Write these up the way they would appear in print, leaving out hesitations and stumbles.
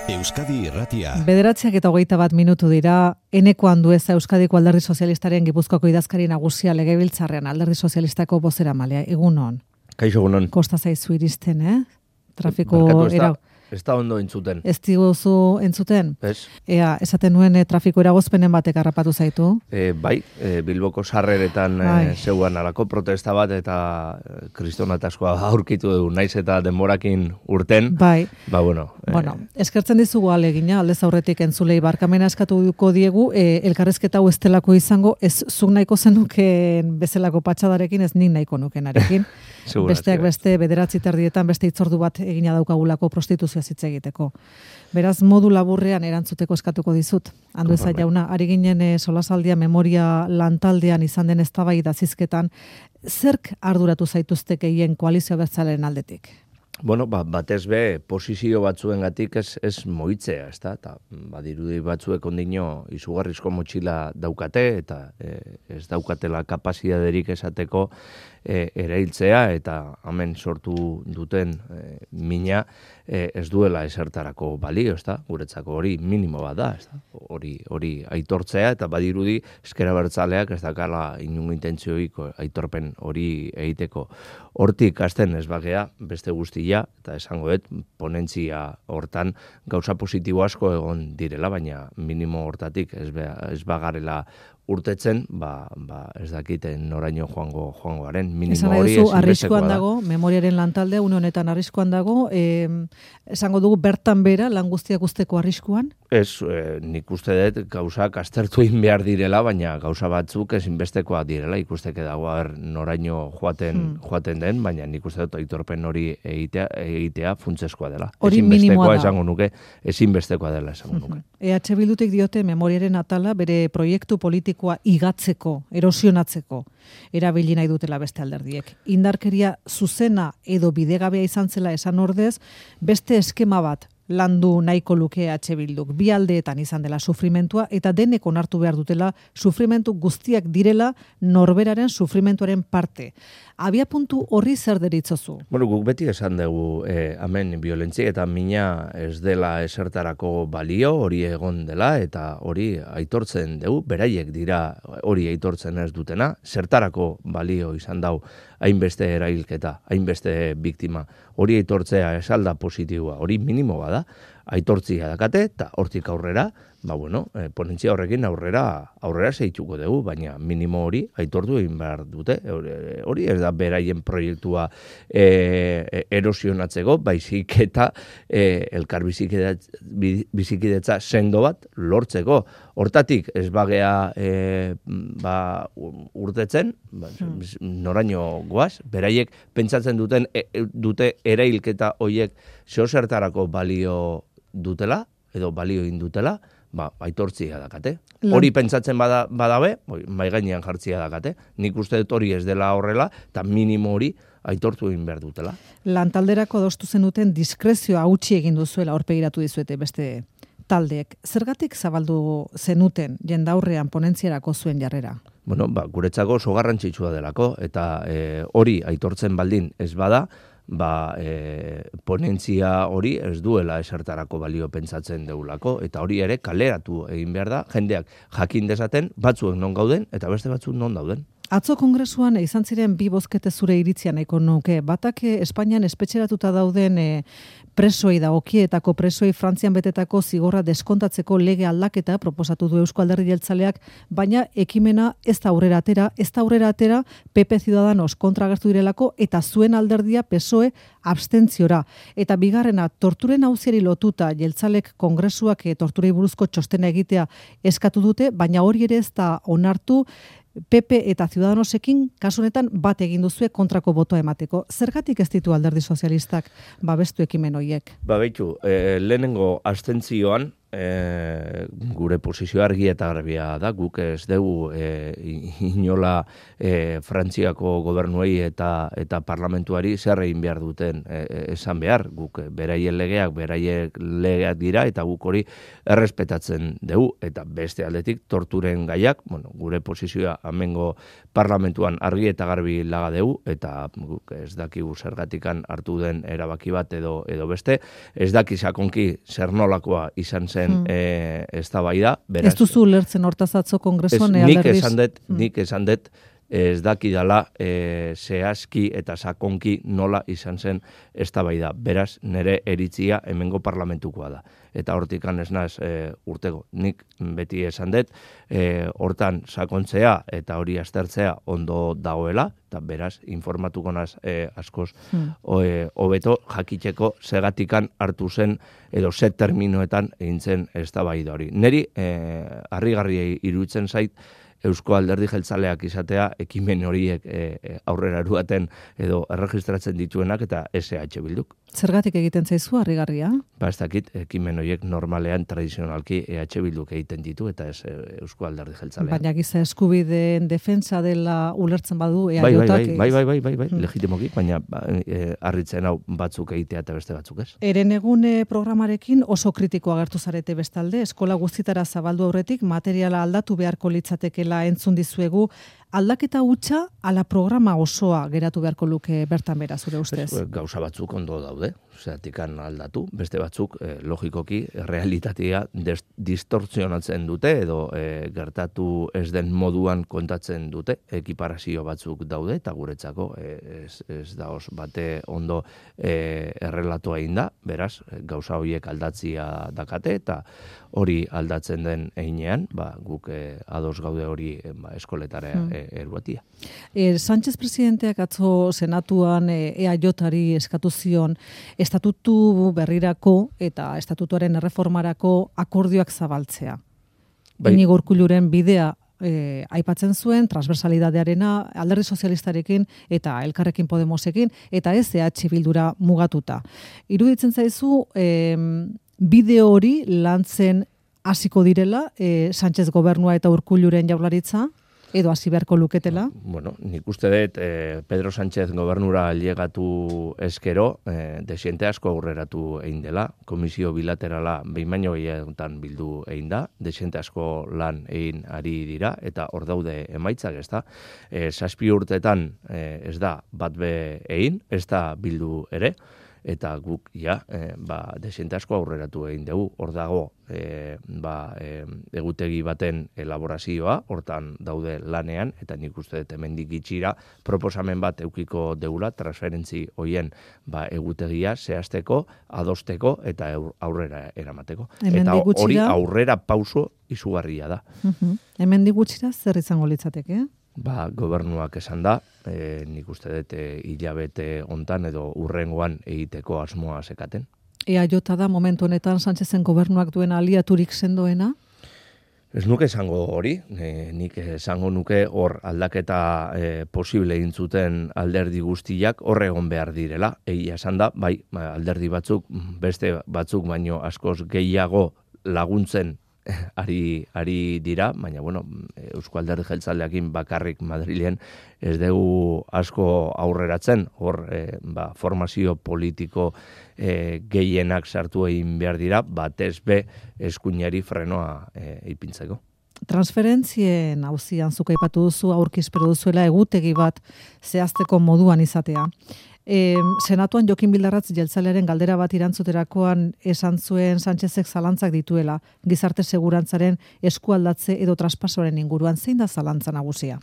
Euskadi Irratia. 9:21 dira, Eneko Andueza Euskadiko Alderdi Sozialistaren Gipuzkoako idazkari nagusia Legebiltzarrean Alderdi Sozialistako bozeramalea. Egunon. Kaixo egunon. Kosta zaizu iristen, Trafiko Ez da ondo entzuten. Ez diguzu entzuten? Ez. Ea, esaten nuen trafiko eragozpenen batek harrapatu zaitu? Bai, Bilboko sarreretan zeuan alako protesta bat eta kristonataskoa aurkitu dugu, naiz eta denborakin urten. Bai. Bueno, eskertzen dizugu alegina, aldez aurretik entzulei barkamena eskatuko diegu, elkarrezketa hau ez delako izango, ez zuk nahiko zenukeen bezalako patxadarekin, ez nik nahiko nukenarekin. Besteak beste, 9:30 beste hitzordu bat egina daukagulako prostituzioa hitz egiteko. Beraz, modu laburrean erantzuteko eskatuko dizut. Andueza jauna, ari ginen solasaldia memoria lantaldean izan den eztabaida zizketan, zerk arduratu zaituzte gehien koalizio abertzalearen aldetik? Bueno, batez be, posizio batzuengatik ez moitzea, ezta? Eta badirudi batzuek ondino izugarrizko motxila daukate eta ez daukatela kapazitaterik esateko erailtzea eta hemen sortu duten mina ez duela esertarako balio, ezta? Guretzako hori minimo bat da, ezta? Hori aitortzea eta badirudi ezker abertzaleak ez dakala inungo intentzioik aitorpen hori egiteko. Hortik hasten ez bagea beste guztia eta esango dut ponentzia hortan gauza positibo asko egon direla, baina minimo hortatik ez bagarela urtetzen, ez dakiten noraino joango garen. Minimo hori arriskuan dago, memoriaren lantalde, une honetan arriskuan dago, esango dugu bertan bera, lan guztiak usteko arriskuan? Ez, nik uste dut gauzak aztertu egin behar direla, baina gauza batzuk ezinbestekoa direla, ikusteke dago noraino joaten den, baina nik uste dut aitorpen hori egitea funtseskoa dela. Hori minimoa da. Esango nuke, ezinbestekoa dela esango nuke. EH Bildutik diote memoriaren atala bere proiektu politikoa igatzeko, erosionatzeko, erabili nahi dutela beste alderdiek. Indarkeria zuzena edo bidegabea izan zela esan ordez, beste eskema bat landu nahiko luke EH Bilduk. Bi aldeetan izan dela sufrimentua eta denek onartu behar dutela sufrimentu guztiak direla norberaren sufrimentuaren parte. Abia puntu horri zer deritzozu? Bueno, guk beti esan dugu hemen violentzia eta mina ez dela esertarako balio, hori egon dela eta hori aitortzen dugu, beraiek dira hori aitortzen ez dutena, zertarako balio izan dau hainbeste erailketa, hainbeste biktima, hori aitortzea esalda positiboa, hori minimo bada, aitortzia dakate eta hortik aurrera, ponentzia horrekin aurrera zeituko dugu, baina minimo hori aitortu egin behar dute. Hori ez da beraien proiektua erosionatzeko, baizik eta elkar bizikidetza sendo bat lortzeko. Hortatik ez bagea urtetzen, noraino goaz, beraiek pentsatzen dute erailketa horiek zeozertarako balio dutela, edo balio indutela, aitortzia dakate. Hori pentsatzen badabe, mai gainean jartzia dakate. Nik uste dut hori ez dela horrela, eta minimo hori aitortu egin behar dutela. Lantalderako adostu zenuten diskrezioa hautsi egin duzuela aurpegiratu dizuete beste taldeek. Zergatik zabaldu zenuten jendaurrean ponentziarako zuen jarrera? Bueno, guretzako oso garrantzitsua delako, eta hori aitortzen baldin ez bada, ponentzia hori ez duela esertarako balio pentsatzen deulako, eta hori ere kaleratu egin behar da, jendeak jakin dezaten, batzuek non gauden, eta beste batzuk non dauden. Atzo kongresuan izan ziren bi bozkete zure iritzia nahiko nuke. Batak Espainian espetxeratuta dauden presoei dagokietako presoei Frantzian betetako zigorra deskontatzeko lege aldaketa proposatu du Eusko Alderdi Jeltzaleak, baina ekimena ez da aurrera atera, PP Ciudadanos kontra agertu direlako eta zuen alderdia PSOE abstentziora. Eta bigarrena, torturen auziari lotuta Jeltzalek kongresuak torturei buruzko txostena egitea eskatu dute, baina hori ere ez da onartu PP eta Ciudadanosekin kasu honetan bat egin duzue kontrako botoa emateko. Zergatik ez ditu Alderdi Sozialistak babestu ekimen horiek? Lehenengo abstentzioan gure posizio argi eta garbia da, guk ez dugu inola Frantziako gobernuei eta parlamentuari zer egin behar duten esan behar, guk beraien legeak dira eta guk hori errespetatzen dugu, eta beste aldetik torturen gaiak, gure posizioa amengo parlamentuan argi eta garbi laga dugu, eta guk ez dakigu zergatikan hartu den erabaki bat edo beste, ez daki sakonki zer nolakoa izan zen eztabaida, beraz. Ez duzu ulertzen hortaz atzo kongresuan alderdiz? Nik esan dut, ez dakidala zehazki eta sakonki nola izan zen eztabaida. Beraz, nire eritzia hemengo parlamentukoa da. Eta hortikan ez naz urtego. Nik beti esan dut, hortan sakontzea eta hori aztertzea ondo dagoela, eta beraz, informatuko naz askoz hobeto jakiteko segatikan hartu zen edo ze terminoetan egin zen eztabaida hori. Neri harrigarria iruditzen zait Eusko Alderdi Jeltzaleak izatea ekimen horiek aurrera eruaten edo erregistratzen dituenak eta SH Bilduk. Zergatik egiten zaizu harrigarria? Ba, ez dakit, ekimen horiek normalean tradizionalki EH Bilduk egiten ditu eta ez Eusko Alderdi Jeltzaleak. Baina giza eskubideen defensa dela ulertzen badu EAJak. Bai, legitimoki, baina harritzen hau batzuk egitea eta beste batzuk ez. Herenegune programarekin oso kritikoa agertu zarete bestalde, eskola guztitara zabaldu aurretik materiala aldatu beharko litzatekela entzun dizuegu, aldaketa hutsa ala programa osoa geratu beharko luke bertan bera zure ustez? Gauza batzuk ondo daude, zeratikan aldatu, beste batzuk logikoki realitatea distortzionatzen dute edo gertatu ez den moduan kontatzen dute, ekiparazio batzuk daude eta guretzako ez da os bate ondo errelatoa egin da, beraz gauza horiek aldatzia dakate eta hori aldatzen den heinean, guk ados gaude hori eskoletara eruatia. Sánchez presidenteak atzo senatuan EAJari eskatu zion estatutu berrirako eta estatutuaren erreformarako akordioak zabaltzea. Iñigo Urkulluren bidea aipatzen zuen, transversalidadearena Alderdi Sozialistarekin eta Elkarrekin Podemosekin eta ez EH Bildura mugatuta. Iruditzen zaizu bideo hori lantzen hasiko direla Sánchez gobernua eta Urkulluren jaurlaritza? Edo hasi beharko luketela? Bueno, nik uste dut Pedro Sánchez gobernura llegatu eskero, desiente asko aurreratu egin dela, komisio bilaterala behin baino gehiagotan bildu egin da, desiente asko lan egin ari dira, eta hor daude emaitzak, ez da. 7 urtetan ez da bat be egin, ez da bildu ere, eta guk desiente asko aurreratu egin dugu, hor dago egutegi baten elaborazioa, hortan daude lanean, eta nik uste dut hemendik gitxira proposamen bat eukiko deula, transferentzi hoien egutegia zehazteko, adosteko eta aurrera eramateko. Eta hori aurrera pauso izugarria da. Hemendik gutxira zer izango litzateke? Gobernuak esan da, nik uste dut hilabete hontan edo urrengoan egiteko asmoa sekaten. EAJ da momentu honetan Sánchezen gobernuak duen aliaturik sendoena? Ez nuke esango hori, nik esango nuke hor aldaketa posible egin zuten alderdi guztiak hor egon behar direla. Egia esan da, alderdi batzuk, beste batzuk baino askoz gehiago laguntzen ari dira, baina Eusko Alderdi Jeltzaleekin bakarrik Madrilen ez dugu asko aurreratzen, hor formazio politiko gehienak sartu egin behar dira, batez be eskuinari frenoa ipintzeko. Transferentzien auzian zuk aipatu duzu aurkispero duzuela egutegi bat zehazteko moduan izatea. Senatuan Jokin Bildarratz jeltzalearen galdera bat irantzuterakoan esan zuen Sánchezek zalantzak dituela, gizarte segurantzaren eskualdatze edo traspasoaren inguruan, zein da zalantza nagusia?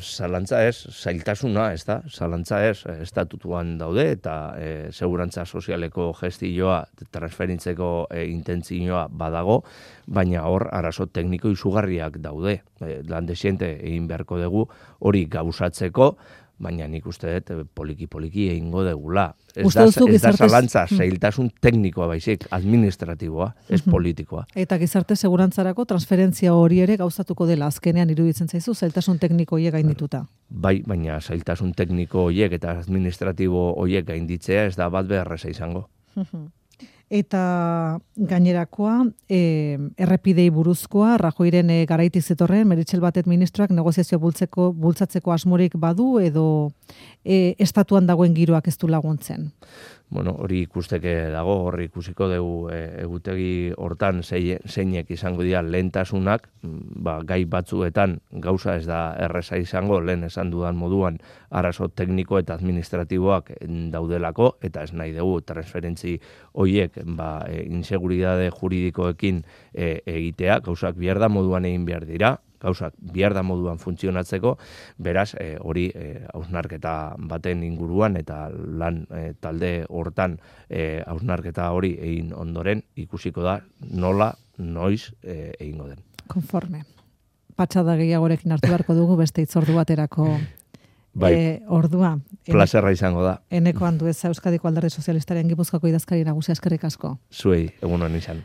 Zalantza ez, zailtasuna, ez da? Zalantza ez, estatutuan daude eta segurantza sozialeko gestioa, transferintzeko intentzioa badago, baina hor arazo tekniko izugarriak daude. Lan desiente egin beharko dugu hori gauzatzeko, baina nik uste dut poliki egingo degula. Ez da zalantza, zailtasun teknikoa baizik, administratiboa, ez politikoa. Eta gizarte segurantzarako transferentzia hori ere gauzatuko dela, azkenean iruditzen zaizu, zailtasun tekniko horiek gaindituta. Bai, baina zailtasun tekniko horiek eta administratibo horiek gainditzea ez da bat beharreza izango. Eta gainerakoa, errepidei buruzkoa, Rajoiren garaitik zetorren, Meritxell Batet ministroak negoziazio bultzatzeko asmorik badu, edo estatuan dagoen giroak ez du laguntzen. Bueno, hori ikusteke dago, hori ikusiko dugu egutegi hortan zeinek izango dira lehentasunak, gai batzuetan gauza ez da erreza izango, lehen esan dudan moduan arazo tekniko eta administratiboak daudelako, eta ez nahi dugu transferentzi horiek inseguridade juridikoekin egitea, gauzak behar da moduan egin behar dira, gauzak behar da moduan funtzionatzeko, beraz, hori hausnarketa baten inguruan eta lan talde hortan hausnarketa hori egin ondoren ikusiko da nola, noiz egingo den. Konforme. Patxada gehiagorekin hartu beharko dugu beste itzordu baterako ordua. Plazerra izango da. Eneko Andueza, Euskadiko Alderdi Sozialistaren Gipuzkoako idazkari nagusia, eskerrik asko. Zuei, egun hon izan.